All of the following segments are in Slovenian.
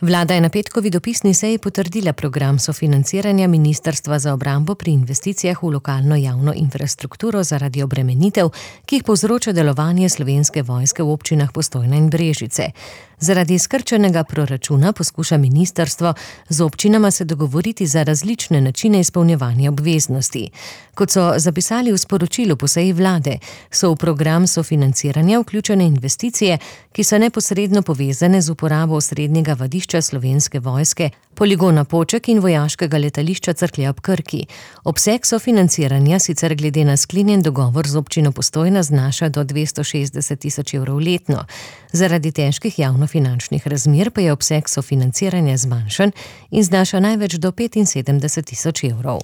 Vlada je na petkovi dopisni seji potrdila program sofinanciranja Ministrstva za obrambo pri investicijah v lokalno javno infrastrukturo zaradi obremenitev, ki jih povzroča delovanje Slovenske vojske v občinah Postojna in Brežice. Zaradi skrčenega proračuna poskuša ministrstvo z občinama se dogovoriti za različne načine izpolnjevanja obveznosti. Kot so zapisali v sporočilu po seji vlade, so v program sofinanciranja vključene investicije, ki so neposredno povezane z uporabo osrednjega vadišča Slovenske vojske, poligona Poček in vojaškega letališča Cerklje ob Krki. Obseg sofinanciranja sicer glede na sklenjen dogovor z občino Postojna znaša do 260 tisoč evrov letno. Zaradi težkih javnofinančnih razmer pa je obseg sofinanciranja zmanjšan in znaša največ do 75 tisoč evrov.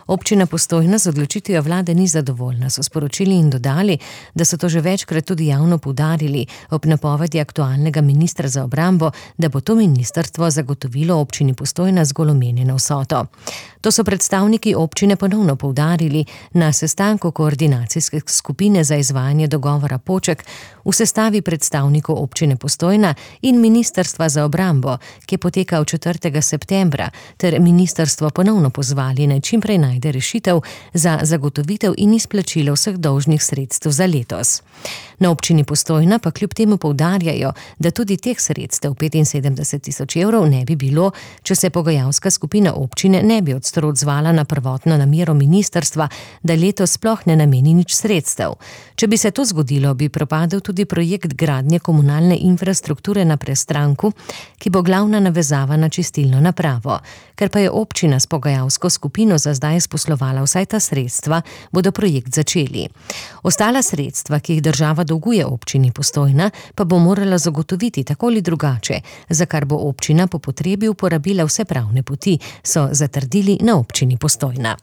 Občina Postojna z odločitvijo vlade ni zadovoljna, so sporočili in dodali, da so to že večkrat tudi javno poudarili ob napovedi aktualnega ministra za obrambo, da bo to ministrstvo zagotovilo občini Postojna zgolj omenjeno vsoto. To so predstavniki občine ponovno poudarili na sestanku koordinacijske skupine za izvajanje dogovora Poček v sestavi predstavnikov občine Postojna in ministrstva za obrambo, ki je potekal 4. septembra, ter ministrstvo ponovno pozvali naj čimprej najde rešitev za zagotovitev in izplačilo vseh dolžnih sredstev za letos. Na občini Postojna pa kljub temu poudarjajo, da tudi teh sredstev 75 tisoč evrov ne bi bilo, če se pogajalska skupina občine ne bi odstro odzvala na prvotno namero ministrstva, da letos sploh ne nameni nič sredstev. Če bi se to zgodilo, bi propadel tudi projekt gradnje komunalne infrastrukture na Prestranku, ki bo glavna navezava na čistilno napravo. Ker pa je občina s pogajalsko skupino za zdaj sposlovala vsaj ta sredstva, bodo projekt začeli. Ostala sredstva, ki jih država dolguje občini Postojna, pa bo morala zagotoviti tako ali drugače, za kar bo občina po potrebi uporabila vse pravne poti, so zatrdili na občini Postojna.